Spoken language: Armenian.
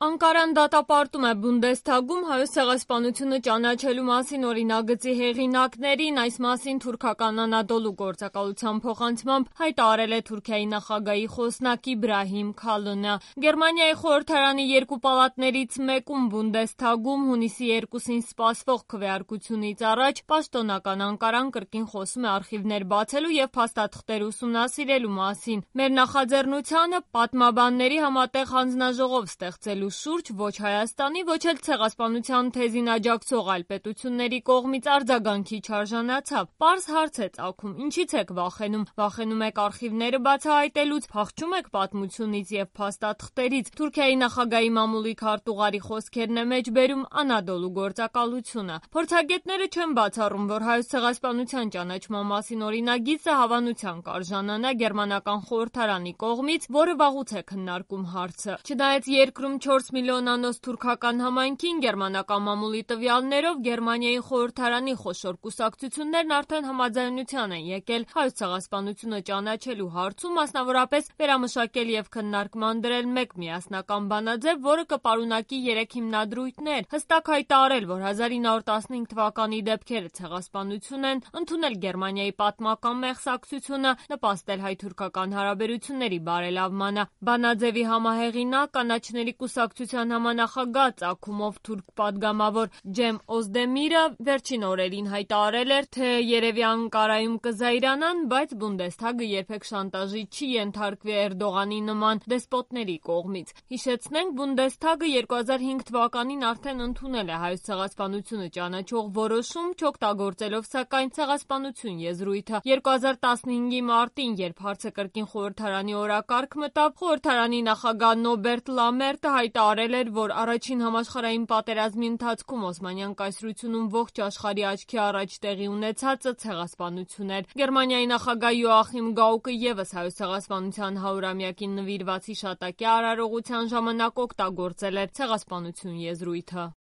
Անկարան դատապարտում է Բունդեսթագում Հայոց ցեղասպանությունը ճանաչելու մասին օրինագծի հեղինակներին, այս մասին թուրքական Անադոլու գործակալության փոխանցմամբ հայտարարել է Թուրքիայի նախագահի խոսնակ Իբրահիմ Քալոնը։ Գերմանիայի խորհրդարանի երկու պալատներից մեկում Բունդեսթագում հունիսի 2-ին սպասվող քվեարկությունից առաջ պաշտոնական Անկարան կրկին խոսում է արխիվներ բացելու և փաստաթղթեր ուսումնասիրելու մասին։ Մեր նախաձեռնությանը պատմաբանների համատեղ հանձնաժողով ստեղծելու շուրջ ոչ Հայաստանի, ոչ էլ ցեղասպանության թեզին աջակցող այլ պետությունների կողմից արձագանքի չարժանացավ։ Պարզ հարց է ծագում՝ ինչից եք վախենում։ Վախենում եք արխիվները բացահայտելուց, փախչում եք պատմությունից և փաստաթղթերից։ Թուրքիայի նախագահի մամուլի քարտուղարի խոսքերն է մեջբերում Անադոլու գործակալությունը։ Փորձագետները չեն բացառում, որ Հայոց ցեղասպանության ճանաչման մասին օրինագիծը հավանության կարժանանա գերմանական խորհրդարանի կողմից, որը վաղուց է քննարկում հարցը։ Չնայած երկրում 4 միլիոնանոց թուրքական համայնքին գերմանական մամուլի տվյալներով Գերմանիայի խորհրդարանի խոշոր կուսակցություններն արդեն համաձայնության են եկել Հայոց ցեղասպանությունը ճանաչելու հարցում, մասնավորապես վերամշակել և քննարկման դրել մեկ միասնական բանաձև, որը կպարունակի 3 հիմնադրույթներ, հստակ հայտարարել, որ 1915 թվականի դեպքերը ցեղասպանություն են, ընդունել Գերմանիայի պատմական մեղսակցությունը, նպաստել հայ-թուրքական հարաբերությունների բարելավմանը։ Բանաձևի համահեղինակ կանաչների կուսակցության համանախագահ ծագումով թուրք պատգամավոր Ջեմ Օզդեմիրը վերջին օրերին հայտարարել էր, թե երևի Անկարայում կզայրանան, բայց Բունդեսթագը երբեք շանտաժի չի ենթարկվի Էրդողանի նման դեսպոտների կողմից։ Հիշեցնենք, Բունդեսթագը 2005 թվականին արդեն ընդունել է Հայոց ցեղասպանությունը ճանաչող որոշում, չօգտագործելով սակայն ցեղասպանություն եզրույթը։ 2015-ի մարտին, երբ հարցը կրկին խորհրդարանի օրակարգ մտավ, խորհրդարանի նախագահ Նոբերտ Լամերտը հայտարարել էր, որ առաջին համաշխարհային պատերազմի ընթացքում Օսմանյան կայսրությունում ողջ աշխարհի աչքի առաջ տեղի ունեցածը ցեղասպանություն էր։ Գերմանիայի նախագահ Յոախիմ Գաուկը ևս Հայոց ցեղասպանության 100-ամյակին նվիրված հիշատակի արարողության ժամանակ օգտագործել էր ցեղասպանություն եզրույթը։